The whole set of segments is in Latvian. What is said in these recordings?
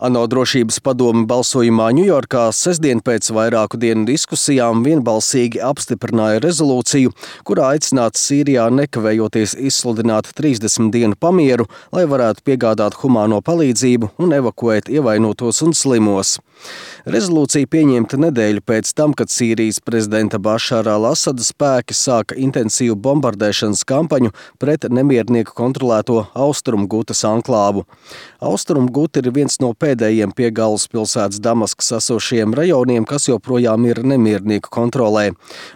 ANO drošības padome balsojumā Ņujorkā sestdien pēc vairāku dienu diskusijām vienbalsīgi apstiprināja rezolūciju, kurā aicināts Sīrijā nekavējoties izsludināt 30 dienu pamieru, lai varētu piegādāt humāno palīdzību un evakuēt ievainotos un slimos. Rezolūcija pieņemta nedēļu pēc tam, kad Sīrijas prezidenta Bašara al-Asada spēki sāka intensīvu bombardēšanas kampaņu pret nemiernieku kontrolēto Austrumu Gutas anklāvu. Austrumu Guta ir viens no pēdējiem pie galvaspilsētas Damaskas esošajiem rajoniem, kas joprojām ir nemiernieku kontrolē.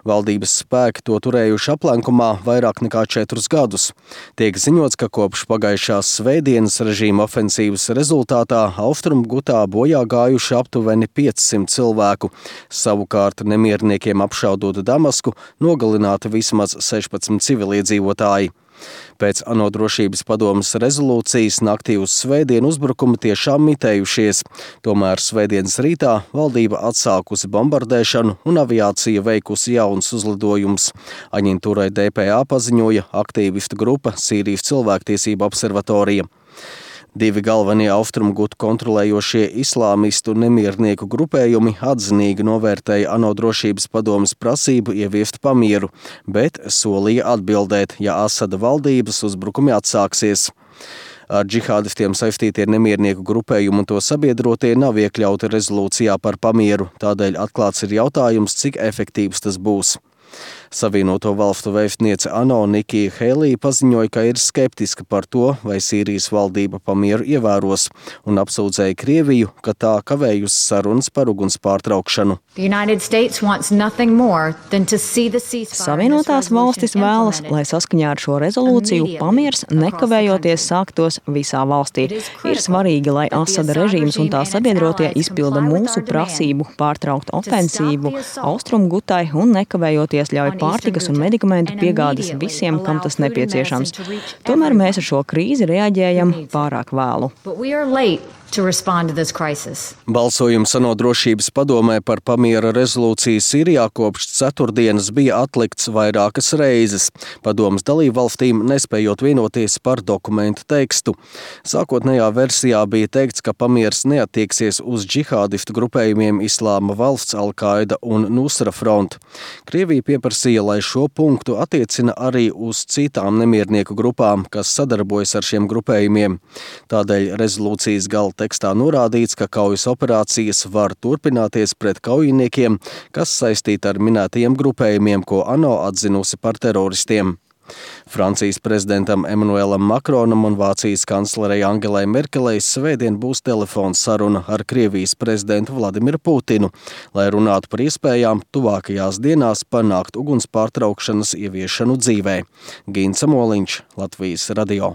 Valdības spēki to turējuši aplenkumā vairāk nekā 4 gadus. Tiek ziņots, ka kopš pagājušās svētdienas režīma ofensīvas rezultātā Austrumu Gutā bojā gājuši aptuveni 500 cilvēku. Savukārt nemierniekiem apšaudot Damasku, nogalināti vismaz 16 civiliedzīvotāji. Pēc ANO drošības padomes rezolūcijas naktī uz svētdienu uzbrukumi tiešām mitējušies. Tomēr svētdienas rītā valdība atsākusi bombardēšanu un aviācija veikusi jauns uzlidojums. Aģentūrai DPA paziņoja aktīvistu grupa Sīrijas cilvēktiesību observatorija. 2 galvenie Austrumu Gutu kontrolējošie islāmistu nemiernieku grupējumi atzinīgi novērtēja ANO drošības padomes prasību ieviest pamieru, bet solīja atbildēt, ja Asada valdības uzbrukumi atsāksies. Ar džihādistiem saistītie nemiernieku grupējumi un to sabiedrotie nav iekļauti rezolūcijā par pamieru, tādēļ atklāts ir jautājums, cik efektīvs tas būs. Savienoto valstu vēstniece ANO Nikija Helī paziņoja, ka ir skeptiska par to, vai Sīrijas valdība pamieru ievēros, un apsūdzēja Krieviju, ka tā kavējusi sarunas par uguns pārtraukšanu. Savienotās valstis vēlas, lai saskaņā ar šo rezolūciju pamiers nekavējoties sāktos visā valstī. Ir svarīgi, lai Asada režīms un tā sabiedrotie izpilda mūsu prasību pārtraukt ofensīvu Austrumu Gutai un nekavējoties ļauj pārtikas un medikamentu piegādes visiem, kam tas nepieciešams. Tomēr mēs ar šo krīzi reaģējam pārāk vēlu. Balsojums ANO drošības padomē par pamiera rezolūciju Sīrijā kopš ceturtdienas bija atlikts vairākas reizes, padomes dalībvalstīm nespējot vienoties par dokumentu tekstu. Sākotnējā versijā bija teikts, ka pamiers neattieksies uz džihādistu grupējumiem Islāma valsts, Al-Qaida un Nusra Front. Krievija pieprasīja, lai šo punktu attiecina arī uz citām nemiernieku grupām, kas sadarbojas ar šiem grupējumiem. Tādēļ rezolūcijas gala tekstā norādīts, ka kaujas operācijas var turpināties pret kaujiniekiem, kas saistīti ar minētajiem grupējumiem, ko ANO atzinusi par teroristiem. Francijas prezidentam Emmanuelam Macronam un Vācijas kanclerei Angelai Merkelei svētdien būs telefons saruna ar Krievijas prezidentu Vladimiru Putinu, lai runātu par iespējām tuvākajās dienās panākt uguns pārtraukšanas ieviešanu dzīvē. Gins Samoliņš, Latvijas radio.